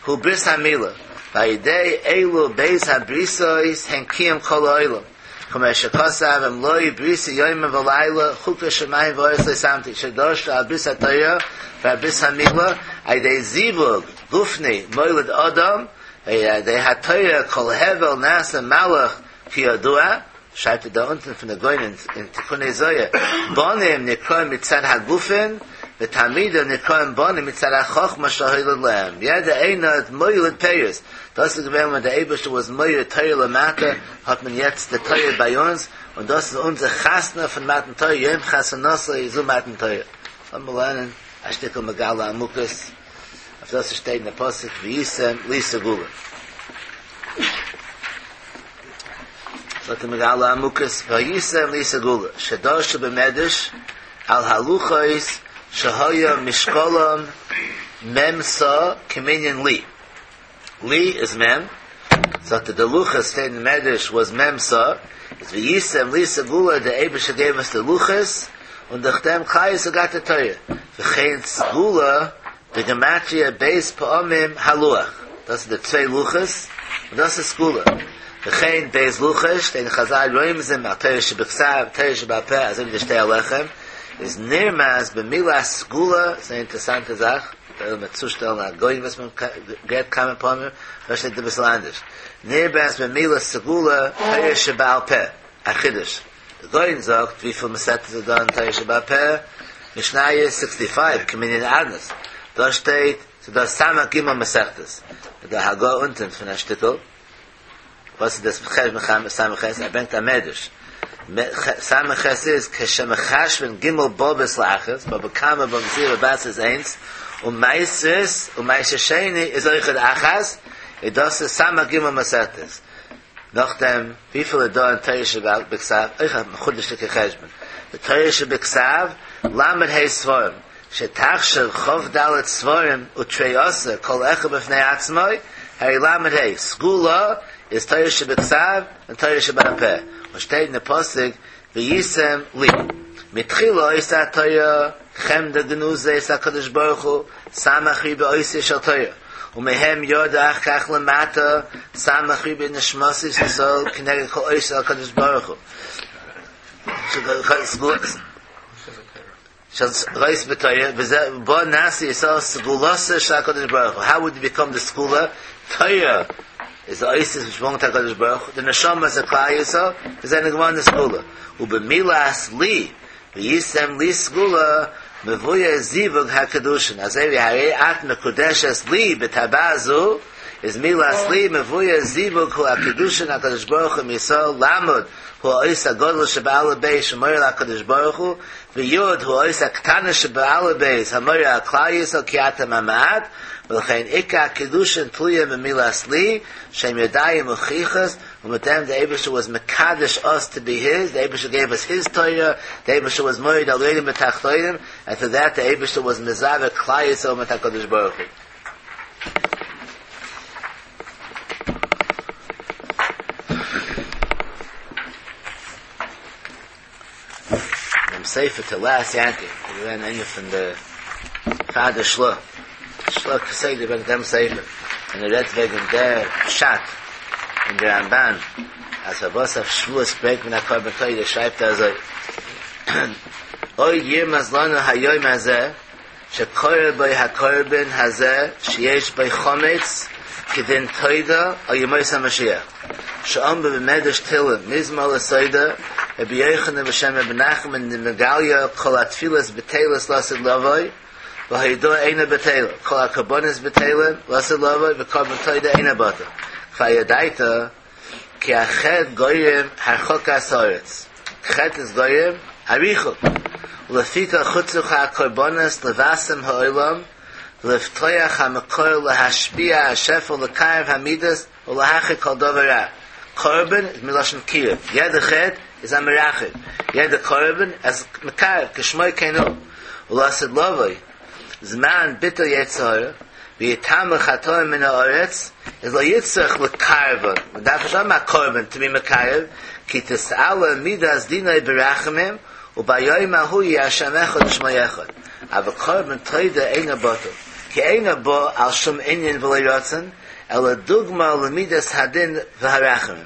הוא ברית המילה, ועל ידי אלו ב' הבריתות הן קיום כל העולם, כמו שכתב אם לא בריתי יומם ולילה חוקות שמים וארץ לא שמתי, שדרשו על ברית התורה ועל ברית המילה, על ידי זיווג גופני מוליד אדם, ועל ידי התורה כל הבל נעשה מלאך כידוע, שרייבט ער דא אונטן פון די גאון אין תיקוני זוהר, בנים נקראים מצד הגופין, ותלמידים נקראים בנים מצד החכמה שהוליד להם, יעדער איינער האט מוליד פירות, דאס איז געווען ווען דער אייבערשטער וואס מוריד תורה למטה, האט מען יעצט די תורה ביי אונז, און דאס איז אונזער חתונה פון מתן תורה, יום חתונתו זו מתן תורה. לאמיר לערנען א שטיקל מגלה עמוקות אויף דאס וואס שטייט אין די פסוק והייתם לי סגולה. זאגט די מגלה עמוקות והייתם לי סגולה שדרשו במדרש על הלוחות שהיה משקלם מ' סאה כמנין לי. לי איז מ', זאגט ער די לוחות שטייט אין מדרש וואס מ' סאה, איז והייתם לי סגולה די אייבערשטער געב אונז די לוחות און דורך דעם כלל ישראל גאט די תורה, וכן סגולה בגימטריא ב' פעמים הלוח, דאס איז די צוויי לוחות און דאס איז סגולה, וכן ב' לוחות שטייט אין חזל רומזים על תורה שבכתב תורה שבעל פה אזוי ווי די שתי הלחם איז נרמז במילת סגולה, ס'איז א אינטערעסאנטע זאך. וועלן מיר צושטעלן א גאון וואס מען גערעדט כמה פעמים, דא שטייט אביסל אנדערש, נרמז במילת סגולה תורה שבעל פה, א חידוש, די גאון זאגט וויפיל מסכתות איז דא אין תורה שבעל פה, משניות סיקסטי פייוו כמנין אדנות, דא שטייט ס'איז דא סמך ג' מסכתות, די הגהה אונטען פון א שטיקל. וואס איז דאס חשבון סמך ח'? ער ברענגט א מדרש, סמך ח' איז כשמחשבין ג' בבות לאחת, בבא קמא בבא מציעא בבא בתרא איז איינס, און מעשרות און מעשר שני איז אויכעט אחת, איז דאס איז סמך ג' מסכתות. נאכדעם וויפיל איז דא אין תורה שבכתב? אויך א מחודש'דיגע חשבון, בתורה שבכתב ל' ה' ספרים, שתחשב כ"ד ספרים ותרי עשר כל אחד בפני עצמו, הרי ל' ה', סגולה איז תורה שבכתב און תורה שבעל פה, און שטייט אין די פסוק והייתם לי, מתחילה היתה התורה חמדה גנוזה אצל הקדוש ברוך הוא, סמך ריבוא אותיות של תורה, ומהם ירדה אחר כך למטה סמך ריבוא נשמתות ישראל כנגד כל אותיות הקדוש ברוך הוא. של אות בתורה, וזה בו נעשה ישראל סגולתו של הקדוש ברוך הוא, how would you become the סגולה? תורה איז די אותיות which belong to הקדוש ברוך הוא, די נשמה איז כלל ישראל, וזה נגמר די סגולה, ובמילת לי, והייתם לי סגולה, מבואר זיווג הקידושין, אזוי ווי הרי את מקודשת לי בטבעת זו, איז מילת לי מבואר זיווג הוא הקידושין הקדוש ברוך הוא מישראל למד הוא האות הגדול שבאלף בית שמורה להקדוש ברוך הוא ויוד הוא האות הקטנה שבאלף בית המורה על כלל ישראל כי אתם המעט ולכן עיקר הקידושין תלויה במילת לי שהם ידיים מוכיחות און מיט דעם די אייבערשטער was מקדש us to be his, די אייבערשטער gave us his Torah, די אייבערשטער was מוריד עליונים בתחתונים, and through that די אייבערשטער was מזווג כלל ישראל מיט הקדוש ברוך הוא. דעם ספר תולעת יעקב איז געווען איינער פון די פאר די של"ה, של"ה כסדר ברענגט דעם ספר און ער רעדט וועגן דער פשט אין די רמב"ן אז פארוואס אויף שבועות ברענגט מען א קרבן תודה שרייבט ער אזוי עוד ירמז לנו היום הזה שקרא בו הקרבן הזה שיש בו חמץ כדין תודה על ימות המשיח שאמרו במדרש תהלים מזמור לתודה רבי יוחנן בשם רבי נחמן דמגליא כל התפילות בטלות לעתיד לבוא וההודאה אינה בטלה כל הקרבנות בטלים לעתיד לבוא וקרבן תודה אינו בטל כבר ידעת כי החטא גורם הרחקת הארץ. חטא איז גורם א ריחוק. ולפיכך הוצרכו הקרבנות לבסם העולם ולפתוח המקור להשפיע השפע ולקרב המידות ולהרחיק כל דבר רע. קרבן איז מלשון קירוב, יעדע חטא איז א מרחק, יעדע קרבן איז מקרב, כשמו כן הוא. ולעתיד לבוא, זמן ביטול יצר הרע, ויתאמו חטאים מן הארץ, איז לא יצטרך לקרבן, מען דארף נישט האבן א קרבן to be מקרב, כי תתעלה מידת דינו ברחמים, וביום ההוא יהיה השם אחד ושמו אחד. אבל קרבן תודה אינו בטל, כי אינו בא על שום ענין ולא רצון, אלא דוגמא למידת הדין והרחמים.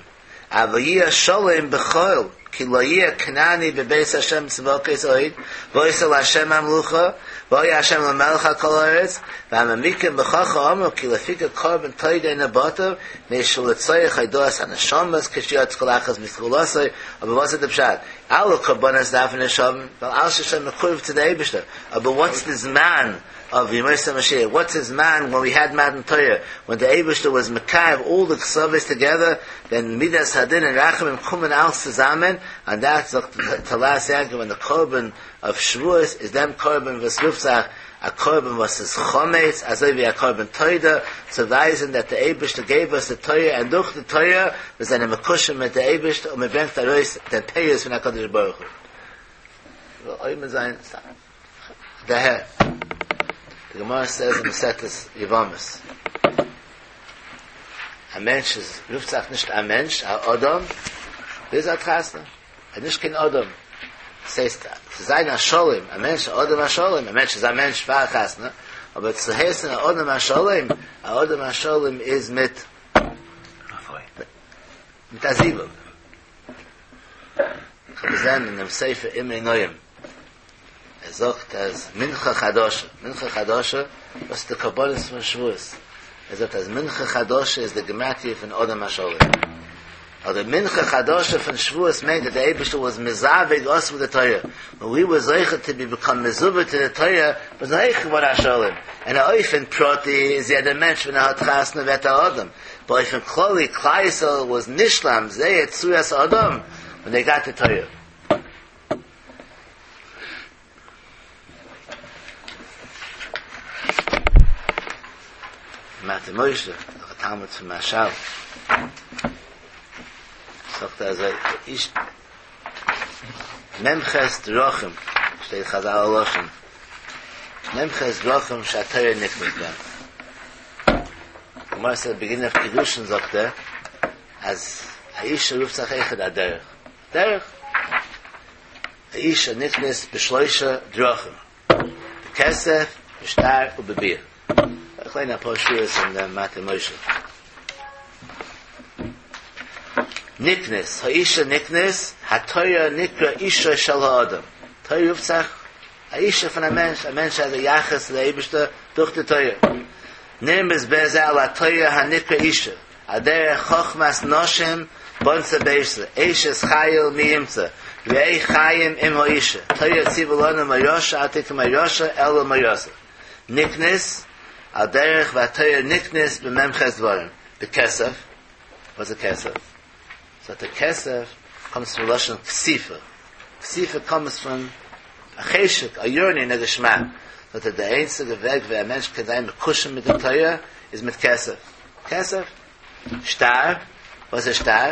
אבל יהיה שלם בכל, כי לא יהיה כנעני בבית השם צבאות עוד, והיתה להשם המלוכה, והיה השם למלך על כל הארץ, והמעמיקים בכך אמרו, כי לפיכך קרבן תודה אינו בטל, מפני שלצורך הודאת הנשמות, כשיצא כל אחת מסגולתו, אבער וואס איז די פשט? אלע קרבנות דארפן נישט האבן, ווייל אלעס איז שוין מקורב צו די אייבערשטער, אבער וואטס די זמן of ימות המשיח, what's the זמן when we had מתן תורה, when the אייבערשטער was מקרב all the קצוות together, then מידת הדין and רחמים קומען אלץ צוזאמען, and that's זאגט תולעת יעקב when the קרבן of שבועות איז דעם קרבן וואס רופט זיך א קרבן וואס איז חמץ, אזוי ווי א קרבן תודה, צו ווייזן that the אייבערשטער gave us the תורה, and דורך די תורה מיר זענען מקושר מיט די אייבערשטער און מען ברענגט ארויס דעם פירות פון הקדוש ברוך הוא. אויב מיר זענען דער די גמרא says אין מסכת יבמות א מענטש איז רופט זיך נישט א מענטש א אדם ביז ער האט חתונה ער איז נישט קיין אדם עס הייסט צו זיין א שלם א מענטש א אדם השלם א מענטש איז א מענטש פאר חתונה אבער צו הייסן א אדם השלם א אדם השלם איז מיט מיט א זיווג איך האב געזען אין דעם ספר אמרי נועם ער זאגט אז מנחה חדשה, מנחה חדשה, דאס איז די קרבנות פון שבועות. ער זאגט אז מנחה חדשה איז די גמטריא פון אדם השלם. אדער מנחה חדשה פון שבועות מיינט אז דער אייבערשטער was מזווג us with the Torah. When we were זוכה to be become מזווג to the Torah, was אויך געווארן א שלם. און אופן פרטי איז יעדער מענטש ווען ער האט חתונה ווערט א אדם. באופן כללי, כלל ישראל was נשלם, זייער צורת אדם, when they got the Torah. מטה משה, דער תלמיד פון מהרש"ל. זאגט ער אזוי, איש מ"ח דרכים, שטייט חז"ל לשון. מ"ח דרכים שהתורה נקנית בהם. גמרא says beginning of קידושין זאגט ער, אז א אישה רופט זיך אויכעט א דרך. דרך. א אישה נקנית בשלושה דרכים. בכסף, בשטר ובביאה. איך ליין א פאר שורות אין דעם מטה משה. נקנית, האישה נקנית, התורה נקרא אישה של האדם. תורה רופט זיך א אישה פון א מענטש, א מענטש האט א יחס צו דער אייבערשטער דורך די תורה. נרמז בזה על התורה הנקרא אישה, על דרך חכמת נשים בנתה ביתה, אשת חיל מי ימצא, ראה חיים עם האישה, תורה ציווה לנו מורשה אל תקרי מורשה אלא מאורסה. נקנית, על דרך והתורה נקנית במ"ח דברים, בכסף, וואס איז כסף? So the כסף comes from לשון כסיפה. כסיפה comes from א חשק, א yearning, א געשמאק. So that די איינציגע וועג ווי א מענטש קען זיין מקושר מיט דער תורה איז מיט כסף. כסף. שטר. וואס איז שטר?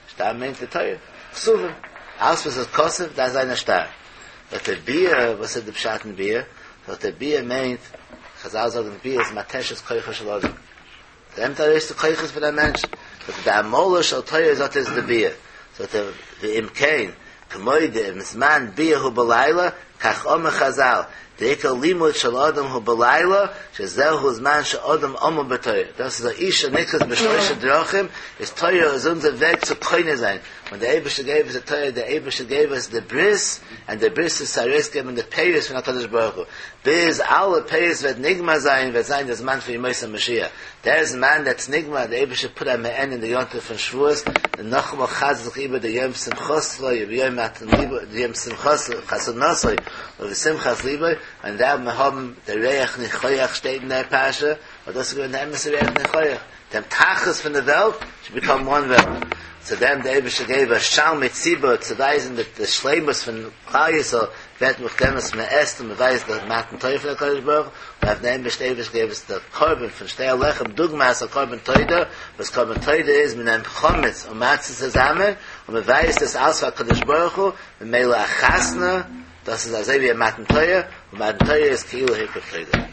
שטר מיינט די תורה. כתובה. אלעס וואס איז כתוב, דאס איז א שטר. But the ביאה, וואס איז די פשט אין ביאה? But the ביאה מיינט, חז"ל זאגן ביאה איז מתשת כוחו של אדם. נעמט ארויס די כוחות פון דער מענטש. But די עמלה של תורה זאגט איז די ביאה. זאגט ער, ואם כן, כמו דאם זמן ביאה הוא בלילה, כך אמר חז"ל, דעיקר לימוד של אדם הוא בלילה, שזהו זמן שאדם עמל בתורה. דאס איז א אישה נקנית בשלושה דרכים, איז תורה איז אונזער וועג צו קונה זיין. When the אייבערשטער gave us the Torah, the אייבערשטער gave us the bris, and the bris איז ארויסגעבן די פירות פון הקדוש ברוך הוא. ביז אלע פירות וועט נגמר זיין, וועט זיין דער זמן פון ימות המשיח. דער זמן that's נגמר, דער אייבערשטער put א מעין אין די יום טוב פון שבועות, און נאכאמאל חזר'ט זיך איבער דער יום שמחתו, יום מתן ליבו, יום שמחתו, חתונתו, ובשמחת ליבו, און דא מיר האבן דער ריח ניחוח שטייט אין דער פרשה, ווייל דאס איז געווען די אמת'ע ריח ניחוח, דעם תכלית פון די וועלט should become one וועלט, צו דעם די אייבערשטער געב א שלמי ציבור צו ווייזן די די שלימות פון כלל ישראל ווערט מיט דעם וואס מען עסט און מען ווייזט די מתן תורה פון הקדוש ברוך הוא, און אויף דעם בעשט אייבערשטער געב עס די קרבן פון שתי הלחם דוגמת א קרבן תודה, וואס קרבן תודה איז מען נעמט חמץ און מצה צוזאמען און מען ווייזט עס אלס פאר הקדוש ברוך הוא, ממילא א חתונה דאס איז אזוי ווי א מתן תורה, און מתן תורה איז כאילו הקריב תודה.